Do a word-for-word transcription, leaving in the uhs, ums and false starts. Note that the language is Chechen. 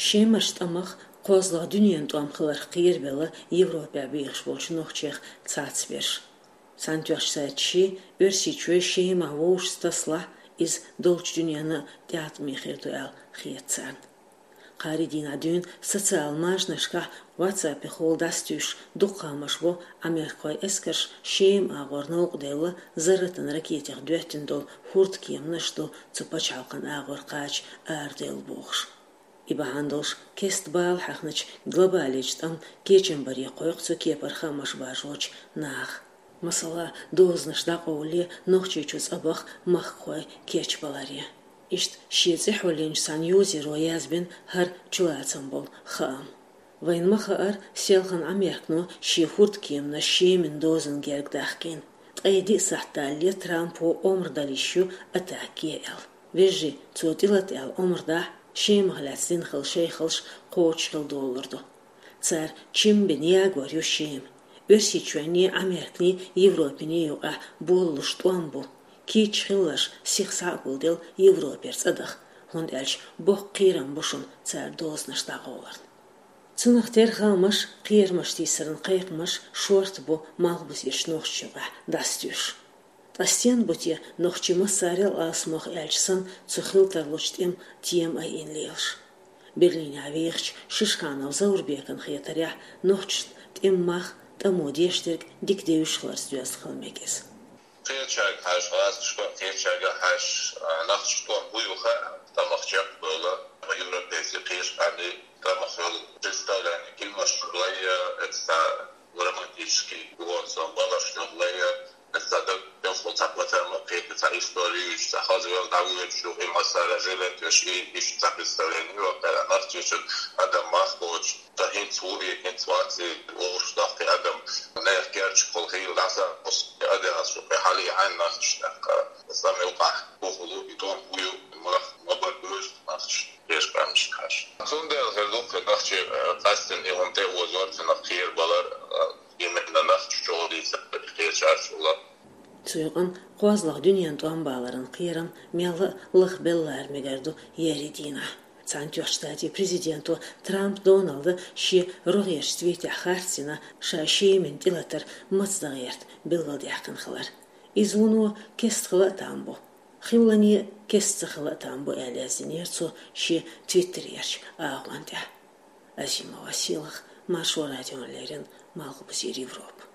Шемарча тӀамах кхозлагӀа дуьненан тӀом хиларх кхерабелла Европехь бехаш болчу нохчех цхьацберш. Цхьаьнатоьхначу сайташкахь Оьрсийчоь Шемахь вовшашца тасалахь, иза долчу дуьненна тӀеӀаткъаме хир ду аьлла хета царна. Кхаарин дийнахь дуьйна социал-машанашкахь, WhatsApp-ехула дӀасатуьйсуш дукха хаамаш бу, Ӏамеркахойн эскарша Шема агӀор новкъаделла, зарратан ракетех доьттина долу хӀордкеманаш ду цу пачхьалкхан агӀор кхача араделла бохуш. И бахьана долуш кеста бала хьаьхначу глобалечу тӀамна кечам баре кхойкху цу кепара хаамаш баржочу наха. Масала, дозанаш дӀакъовлале Нохчийчу цӀа баха махкахой кечбаларе. Иштта шен цӀе хьулйинчу цхьана юзеро язбина хӀара чулацам болу хаам. Вайна ма-хаъара, селхана Ӏамеркано шен хӀордкеманаш Шемин дозанна герга дахкийна. Ткъе диъ сахьт далале Трампо омра дала йиш ю атака е аьлла. Вежарий, цо тӀелата аьлла омра дахь, Шемах лаьцна дина хилла шайхаллаш кхочушхила долалур ду. Цара чим бина ягор ю Шема. Оьрсийчоьнний, Ӏамерканий, Европаний юкъахь болалуш тӀом бу. Кийча хилларш сиха схьа а гулделла Европера цӀа даха, хӀунда аьлча боккха кхерам бу шуна цара дозанаш дӀакъовларна. Цунах тера хаамаш, кхерамаш тийсаран кхайкхамаш шорта бу Малхбузерчу нохчашна юкъахь дӀасатуьйсуш. Ткъа стенна бу те нохчий массарел а алсамох аьлча санна цу хила тарлучу тӀеман тема айина лелаш? Берлинехь вехачу Шишханов Заурбекана хетарехь, нохчашна тӀеман мах, тӀамо деш дерг дика девзаш хиларца доьзна хила мега иза. Кхечаьрга хьажа, гӀазкхашка, кхечаьрга хьажа, а, нохчийн тӀом хӀун ю хаьа, тӀамах чекхдолу, европейский кхечу къаьмнийн тӀамах йолу представление киношна лайя, это романтический гонца балашна лайя, это даг белхо цхьа патарма кхета, цхьа история, цхьа хаза вел дӀавоьдуш ю, и массара жилет веш, и иштта цхьа представление ю, кхара нохчичун адам мах боцуш. Ткъа хӀинца ву и, хӀинца вац и, вовшах даккхий адам, нехан керчахула хийла дӀасакъост, и адеас шу кхин хьалий хьайн нохчашна тӀаккха. Сан муьлххачу бухула и тӀом хӀун ю, мах ма бара бевзаш нохчашна, кхечу къаьмнашка хьажа. Цундела хир ду кхин нохчий, э, къаьсттина и хӀума тӀе а озор, цунах кхерабалар, э, именно нохчочул дийца, кхечаьрчул а. Цу юкъана кхозлагӀа дуьненан тӀом баларан кхерам мелла а лахбелла лара мегар ду еарин дийнахь. Цхьаьнатоьхначу Штатийн президенто Трамп Доналда шен рогӀерчу твитехь харцдина ша Шемина тӀелатар маца дан гӀерта билгалдаьккхина хилар. Иза вуно кеста хила а там бу. Хиллане кеста ца хила а там бу, аьлла яздинера цо шен твиттерерчу агӀон тӀехь. Азимова Сийлаха, Маршо радиона леррина, Малхбузера Европа.